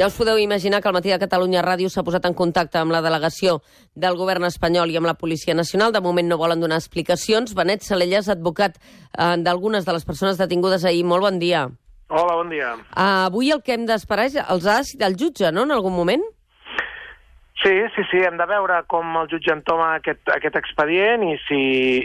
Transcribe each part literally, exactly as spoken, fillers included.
Ja us podeu imaginar que el Matí de Catalunya Ràdio s'ha posat en contacte amb la delegació del govern espanyol i amb la Policia Nacional. De moment no volen donar explicacions. Benet Salellas, advocat eh, d'algunes de les persones detingudes ahir. Molt bon dia. Hola, bon dia. Uh, avui el que hem d'esperar és els ha decidit el jutge, no?, en algun moment? Sí, sí, sí, hem de veure com el jutge entoma aquest, aquest expedient i si,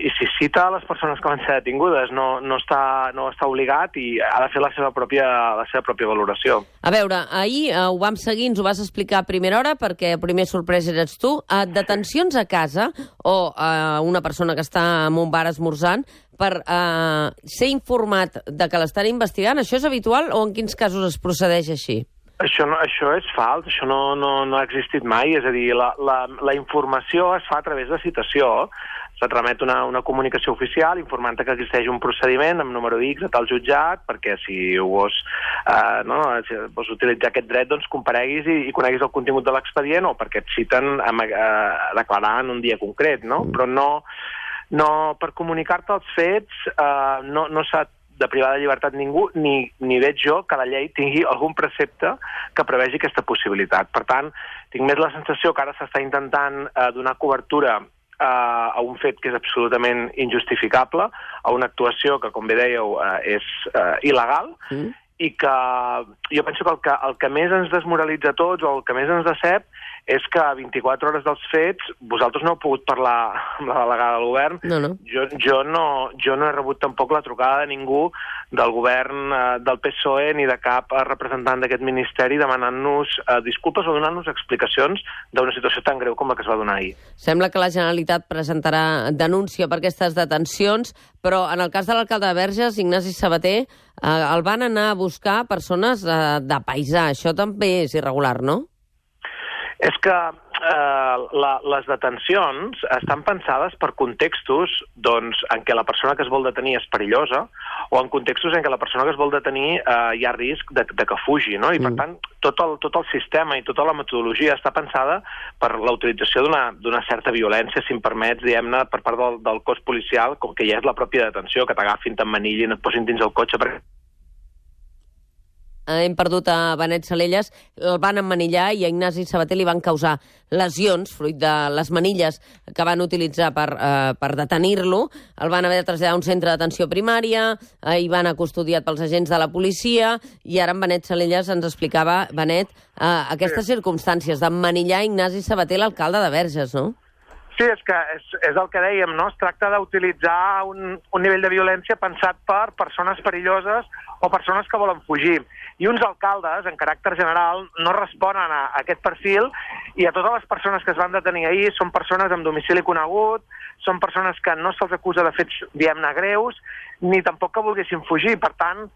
i si cita les persones que van ser detingudes. No, no, està, no està obligat i ha de fer la seva pròpia, la seva pròpia valoració. A veure, ahir uh, ho vam seguir, ens ho vas explicar a primera hora, perquè el primer sorpresa eres tu. Uh, detencions a casa o uh, una persona que està en un bar esmorzant per uh, ser informat de que l'estan investigant, això és habitual o en quins casos es procedeix així? Això, no, això és fals, això no, no, no ha existit mai, és a dir, la, la, la informació es fa a través de citació. Se't remet una, una comunicació oficial informant que existeix un procediment amb número X a tal jutjat, perquè si ho vols, eh, no, si vols utilitzar aquest dret, doncs compareguis i, i coneguis el contingut de l'expedient o perquè et citen a, a, a declarar en un dia concret, no? Però no, no per comunicar-te els fets eh, no, no s'ha de privar de llibertat ningú, ni, ni veig jo que la llei tingui algun precepte que prevegi aquesta possibilitat. Per tant, tinc més la sensació que ara s'està intentant eh, donar cobertura eh, a un fet que és absolutament injustificable, a una actuació que, com bé dèieu, eh, és eh, il·legal, mm. i que jo penso que el, que el que més ens desmoralitza a tots, o el que més ens decep, és que a vint-i-quatre hores dels fets vosaltres no heu pogut parlar amb la delegada del govern. No, no. Jo, jo, no, jo no he rebut tampoc la trucada de ningú del govern eh, del P S O E ni de cap representant d'aquest ministeri demanant-nos eh, disculpes o donant-nos explicacions d'una situació tan greu com la que es va donar ahir. Sembla que la Generalitat presentarà denúncia per aquestes detencions, però en el cas de l'alcalde de Verges, Ignasi Sabater, eh, el van anar a buscar persones eh, de paisà. Això també és irregular, no? És que eh, la, les detencions estan pensades per contextos doncs, en què la persona que es vol detenir és perillosa o en contextos en què la persona que es vol detenir eh, hi ha risc de, de que fugi, no? I, per tant, tot el, tot el sistema i tota la metodologia està pensada per la utilització d'una d'una certa violència, si em permets, diguem-ne, per part del, del cos policial, com que ja és la pròpia detenció, que t'agafin, t'emmanillin, et posin dins el cotxe perquè... Hem perdut a Benet Salellas, el van emmanillar i a Ignasi Sabater li van causar lesions, fruit de les manilles que van utilitzar per, eh, per detenir-lo. El van haver de traslladar a un centre d'atenció primària, eh, i van anar custodiat pels agents de la policia, i ara en Benet Salellas ens explicava, Benet, eh, aquestes circumstàncies d'emmanillar Ignasi Sabater, l'alcalde de Verges, no? Sí, és que és, és el que dèiem, no? Es tracta d'utilitzar un, un nivell de violència pensat per persones perilloses o persones que volen fugir. I uns alcaldes, en caràcter general, no responen a aquest perfil i a totes les persones que es van detenir ahir són persones amb domicili conegut, són persones que no se'ls acusa de fets, diguem-ne, greus, ni tampoc que volguessin fugir. Per tant,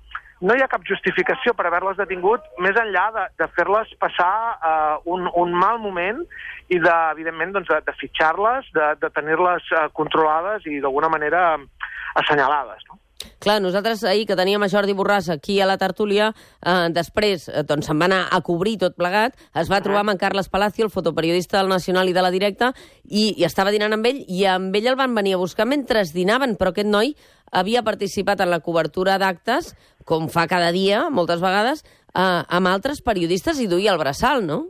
no hi ha cap justificació per haver-les detingut més enllà de, de fer-les passar uh, un, un mal moment i, de, evidentment, doncs, de, de fitxar-les, de, de tenir-les uh, controlades i, d'alguna manera, assenyalades, no? Clar, nosaltres ahir que teníem a Jordi Borràs aquí a la tertúlia, eh, després eh, doncs se'n va anar a cobrir tot plegat, es va trobar amb en Carles Palacio, el fotoperiodista del Nacional i de la Directa, i, i estava dinant amb ell, i amb ell el van venir a buscar mentre dinaven, però aquest noi havia participat en la cobertura d'actes, com fa cada dia, moltes vegades, eh, amb altres periodistes i duia el braçal, no?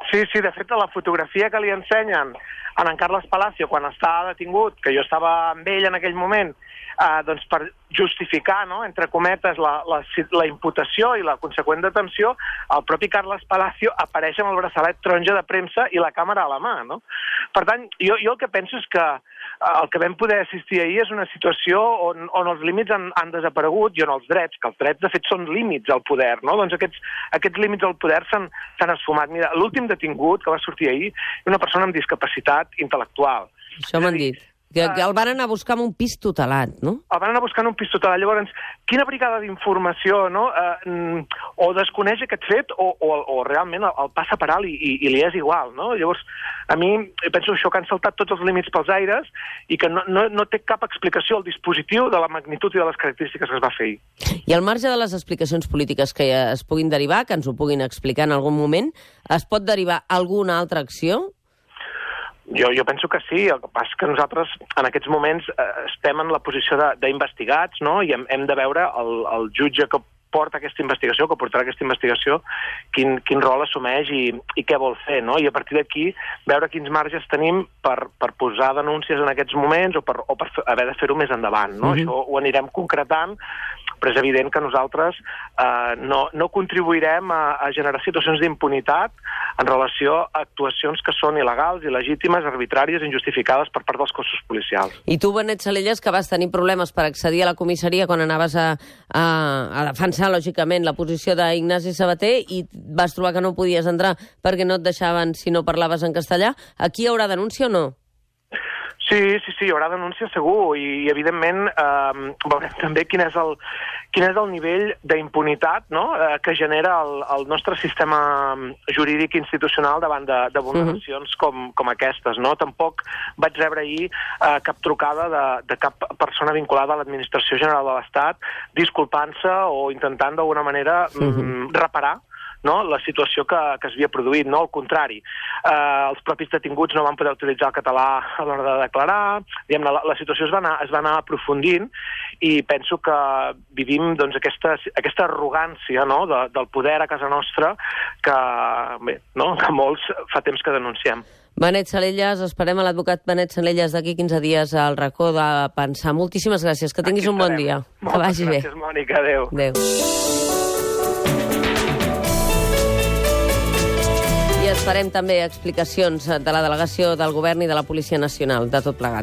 Sí, sí, de fet, la fotografia que li ensenyen a en Carles Palacio quan està detingut, que jo estava amb ell en aquell moment, eh, doncs per justificar, no?, entre cometes, la, la, la imputació i la conseqüent detenció, el propi Carles Palacio apareix amb el braçalet taronja de premsa i la càmera a la mà, no? Per tant, jo, jo el que penso és que el que vam poder assistir ahir és una situació on, on els límits han, han desaparegut i on els drets, que els drets de fet són límits al poder, no? Doncs aquests, aquests límits al poder s'han esfumat. Mira, l'últim detingut que va sortir ahir és una persona amb discapacitat intel·lectual. Això m'han dit. Que, que el van anar a buscar en un pis tutelat, no? El van anar a buscar en un pis tutelat. Llavors, quina brigada d'informació, no? Eh, o desconeix aquest fet o, o, o realment el, el passa per alt i, i, i li és igual, no? Llavors, a mi penso això que han saltat tots els límits pels aires i que no, no, no té cap explicació el dispositiu de la magnitud i de les característiques que es va fer ahir. I al marge de les explicacions polítiques que es puguin derivar, que ens ho puguin explicar en algun moment, es pot derivar alguna altra acció? Jo, jo penso que sí, el que passa és que nosaltres en aquests moments eh, estem en la posició d'investigats, no? I hem, hem de veure el, el jutge que porta aquesta investigació, que portarà aquesta investigació, quin, quin rol assumeix i, i què vol fer, no? I a partir d'aquí veure quins marges tenim per, per posar denúncies en aquests moments o per, o per haver de fer-ho més endavant, no? Mm-hmm. Això ho anirem concretant, però és evident que nosaltres eh, no, no contribuirem a, a generar situacions d'impunitat en relació a actuacions que són il·legals, il·legítimes, arbitràries, injustificades per part dels cossos policials. I tu, Benet Salellas, que vas tenir problemes per accedir a la comissaria quan anaves a, a, a defensar, lògicament, la posició d'Ignasi Sabater i vas trobar que no podies entrar perquè no et deixaven si no parlaves en castellà, aquí hi haurà denúncia o no? Sí, sí, sí, hi haurà denúncia segur i, evidentment, eh, veurem també quin és el, quin és el nivell d'impunitat, no?, eh, que genera el, el nostre sistema jurídic institucional davant de, de vulneracions uh-huh. com, com aquestes, no? Tampoc vaig rebre ahir eh, cap trucada de, de cap persona vinculada a l'Administració General de l'Estat disculpant-se o intentant d'alguna manera uh-huh. mm, reparar, no?, la situació que, que s'havia produït, no? Al contrari, eh, els propis detinguts no van poder utilitzar el català a l'hora de declarar, diguem, la, la situació es va, anar, es va anar aprofundint i penso que vivim doncs, aquesta, aquesta arrogància, no?, de, del poder a casa nostra que, bé, no?, que molts fa temps que denunciem. Benet Salellas, esperem a l'advocat Benet Salellas d'aquí quinze dies al racó de pensar. Moltíssimes gràcies, que tinguis un bon dia. Que vagi bé. Gràcies, Mònica, adéu. Adéu. I esperem també explicacions de la delegació del Govern i de la Policia Nacional de tot plegat.